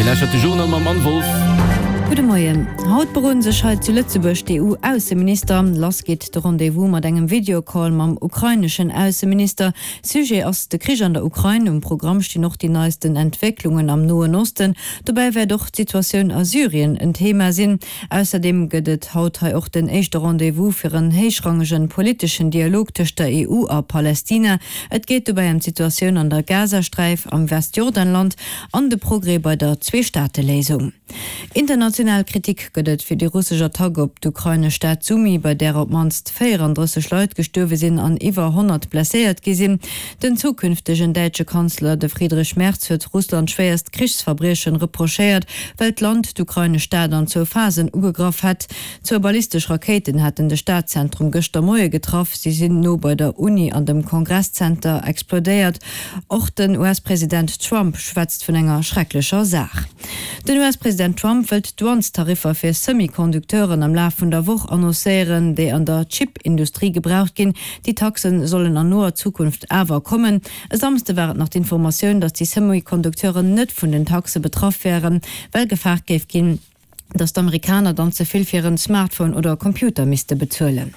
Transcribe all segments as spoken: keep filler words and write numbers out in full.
lauschtert de Journal mam Anne Wolff. Gudde Moien. Haut beroden sech hei zu Lëtzebuerg d'EU-Ausseminister. Lass geet de Rendez-vous mat engem Videocall mam ukraineschen Ausseminister. Sujet ass de Krich an der Ukrain. Um Programm stinn och déi neisten Entwécklungen am Noen Osten. Dobäi wäert och d'Situatioun a Syrien en Thema sinn. Ausserdeem gëtt et haut hei och den éischte Rendez-vous fir en héichrangege politeschen Dialog tëscht der E U a Palestina. Et geet dobäi ëm d'Situatioun an der Gazasträif, am Westjordanland an de Progrès bei der Zwee-Staate-Léisung. International Kritik gëtt et fir déi russesch Attack op d'ukrainesch Stad Sumy, bei där op d'mannst véierandrësseg Leit gestuerwe sinn an iwwer honnert blesséiert gi sinn. Den zukünftegen däitsche Kanzler, de Friedrich Merz, huet Russland schwéierst Krichsverbriechen reprochéiert, well d'Land d'ukrainesch Stad an zwou Phasen ugegraff hätt. Zwou ballistesch Rakéiten hätten de Stadzentrum gëschter Moie getraff. Si sinn no bei der Uni an dem Kongresszenter explodéiert. Och den U S-President Trump schwätzt vun enger schrecklecher Saach. Den U S-President Trump wëllt d'Douanestariffer fir Semi-Conducteuren am Laf vun der Woch annoncéieren, déi an der Chip-Industrie gebraucht ginn. Déi Taxe sollen an noer Zukunft awer kommen. E Samsde war et nach d'Informatioun, datt déi Semi-Conducteuren net vun den Taxe betraff wären, well gefaart géif ginn, datt d'Amerikaner dann ze vill fir en Smartphone oder Computer misste bezuelen.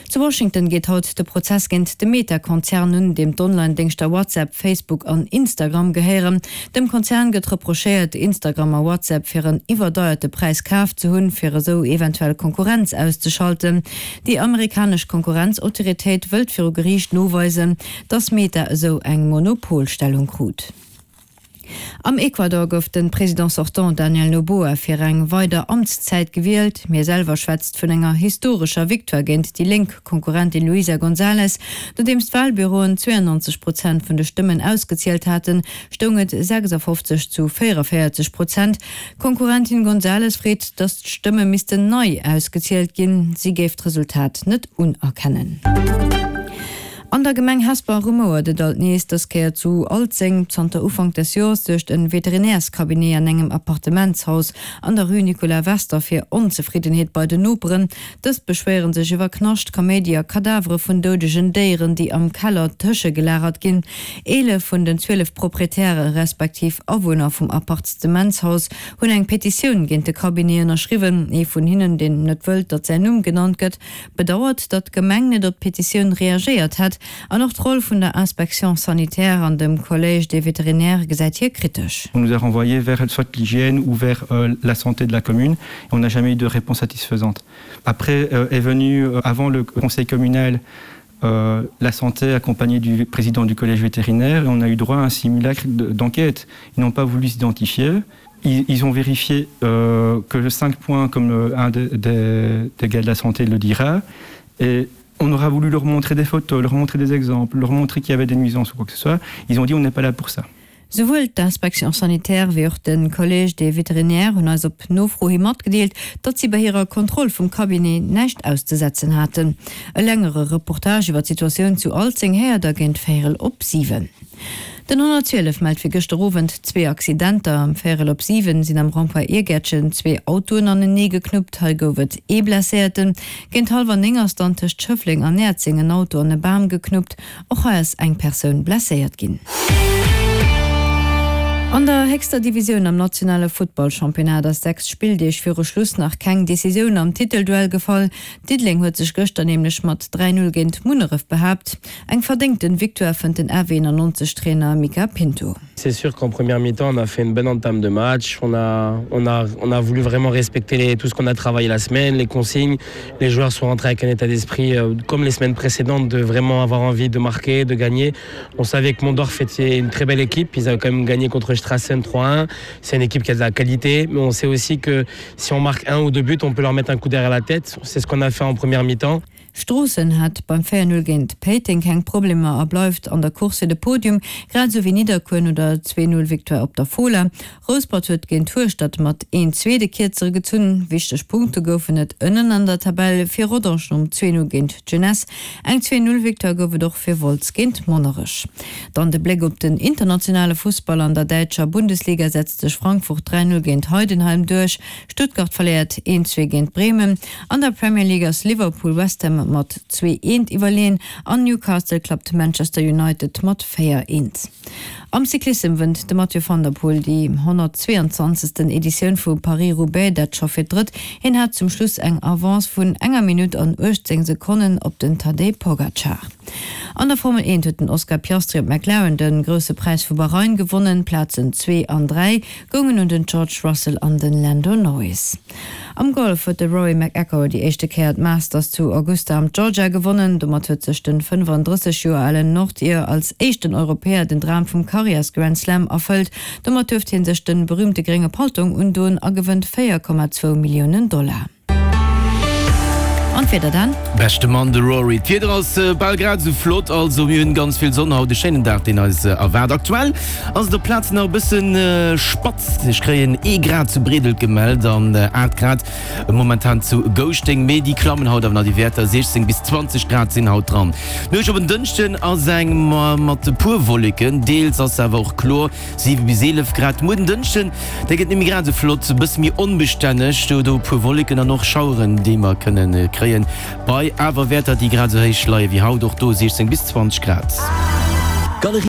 Zu Washington geet haut de Prozess géint de Meta-Konzern un, deem d'Online-Déngschter WhatsApp, Facebook an Instagram gehéieren. Dem Konzern gëtt reprochéiert, Instagram a WhatsApp fir en iwwerdeierte Präis kaf ze hunn, fir esou eventuell Konkurrenz auszeschalten. Déi amerikanesch Konkurrenzautoritéit wëllt viru Geriicht noweisen, datt Meta esou eng Monopolstellung krut. Am Ecuador gouf de Président sortant Daniel Noboa fir eng weider Amtszäit gewielt. Hie selwer schwätzt vun enger historescher Victoire géint déi lénk Konkurrentin Luisa González. Nodeems d'Walbüroen zwéianonzeg Prozent vun de Stëmmen ausgezielt haten, stoung et sechsafofzeg zu véierundavéierzeg Prozent. D'Konkurrentin González freet, datt d'Stëmme missten nei ausgezielt ginn, si géif d'Resultat net unerkennen. An der Gemeng Hesper rumouert et alt nees, dës Kéier zu Alzeng. Zanter Ufank des Joers suergt e Veterinärscabinet an engem Appartementshaus an der Rue Nicolas Wester fir Onzefriddenheet bei den Noperen. Dës beschwéiere sech iwwer Knascht, Kaméidi a Kadavere vun doudegen Déieren, déi am Keller tëschegelagert ginn. Eelef vun den zwielef Proprietäre respektiv Awunner vum Appartementshaus hunn eng Petitioun géint de Cabinet ënnerschriwwen. Ee vun hinnen, deen net wëllt, datt säin Numm genannt gëtt, bedauert, datt d'Gemeng net op d'Petitioun reagéiert hätt. An och d'Roll vun der Inspection sanitaire an dem Collège des vétérinaires gesäit hie kritesch. On nous a renvoyé vers soit l'hygiène ou vers euh, la santé de la commune et on n'a jamais eu de réponse satisfaisante. Après euh, est venu euh, avant le conseil communal euh, la santé accompagnée du président du collège vétérinaire et on a eu droit à un simulacre d'enquête. Ils n'ont pas voulu s'identifier. Ils, ils ont vérifié euh, que le cinq points comme euh, un des, des, des gars de la santé le dira et on aura voulu leur montrer des photos, leur montrer des exemples, leur montrer qu'il y avait des nuisances ou quoi que ce soit. Ils ont dit: on n'est pas là pour ça. Souwuel d'Inspection sanitaire wéi och de Collège des vétérinaires hunn eis op Nofro hi matgedeelt, datt si bei hirer Kontroll vum Cabinet näischt auszesetzen haten. E längere Reportage iwwer d'Situatioun zu Alzeng héiert der géint véierel op siwen. Den honnertzwielef mellt fir gëschter Owend zwee Accidenter. Am véierel op siwen sinn am Rond-point Iergäertchen zwee Autoen anenee geknuppt, hei gouf et ee Blesséierten. Géint hallwer néng ass dann tëscht Schëffleng an Näerzeng en Auto an e Bam geknuppt, och hei ass eng Persoun blesséiert ginn. An der héchster Divisioun am nationale Futtballchampionnat ass sechs Spilldeeg viru Schluss nach keng Decisioun am Titelduell gefall. Diddeleng huet sech gëschter nämlech mat dräi Null géint Munneref behaapt. Eng verdéngten Victoire fënnt den R W eenannonzeg Trainer Mica Pinto. C'est sûr qu'en première mi-temps, on a fait une bonne entame de match. On a, on a, on a voulu vraiment respecter les, tout ce qu'on a travaillé la semaine, les consignes. Les joueurs sont rentrés avec un état d'esprit euh, comme les semaines précédentes, de vraiment avoir envie de marquer, de gagner. On savait que Mondorf était une très belle équipe. Ils avaient quand même gagné contre Strassen trois un. C'est une équipe qui a de la qualité, mais on sait aussi que si on marque un ou deux buts, on peut leur mettre un coup derrière la tête. C'est ce qu'on a fait en première mi-temps. Stroossen hat beim véier Null géint Péiteng keng Problemer a bleift an der Course fir de Podium, grad esou wéi Nidderkuer no der zwee Null Victoire op der Fola. Rouspert huet géint Hueschtert mat een zwee de Kierzere gezunn. Wichteg Punkte goufen et ënnen an der Tabell fir Rodange nom zwee Null géint d'Jeunesse. Eng zwee Null Victoire gouf et och fir Wolz géint Monnerech. Dann de Bléck op den internationale Fussball, An der däitscher Bundesliga setzt sech Frankfurt dräi Null géint Heidenheim duerch. Stuttgart verléiert een zwee géint Bremen. An der Premier League ass Liverpool West Ham mat zwee eent iwwerleeën an Newcastle klappt Manchester United mat véier eent. Am Cyclissem wënnt de Mathieu van der Poel déi honnertzweeanzwanzegsten Editioun vu Paris-Roubaix, dat scho fir d'drëtt. Hien hat zum Schluss eng Avance vun enger Minutt an uechtzéng Sekonnen op den Tadej Pogacar. An der Formel eent huet den Oscar Piastri op McLaren de Grousse Präis vu Bahrain gewonnen. Plazen zwee an dräi goungen un den George Russell an den Lando Norris. Am Golf huet de Rory McIlroy déi éischte Kéier d'Masters zu Augusta am Georgia gewonnen. Domat huet sech den fënnefandrësseg Joer alen Nordir als éischten Europäer den Dram vum Karriärs-Grand Slam erfëllt. Domat duerft hie sech de berüümte grénge Paltong undoen a gewënnt véier Komma zwou Milliounen Dollar. An d'Wieder dann? Beschte Mann, de Rory. D'Wieder ass bal grad esou flott, also mir hunn ganz vill Sonn haut, e schéinen Dag deen eis erwaart. Aktuell ass et op Plazen nach e bëssen spatz, ech kréien ee Grad zu Bredel gemellt an aacht Grad momentan zu Gouschteng, mee déi klammen haut awer nach, déi Wäerter, siechzéng bis zwanzeg Grad sinn haut dran. D'Nuecht op en Dënschden ass eng mat e puer Wolleken, deels ass se awer och kloer, siwe bis eelef Grad. Muer den Dënschden, dee gëtt net méi grad esou flott, e bësse méi onbestänneg, do do e puer Wolleken an och Schaueren déi mer kënnen kréien, bei awer Wäerter déi grad esou héich leie wéi haut, och do siechzéng bis zwanzeg Grad. Galerie.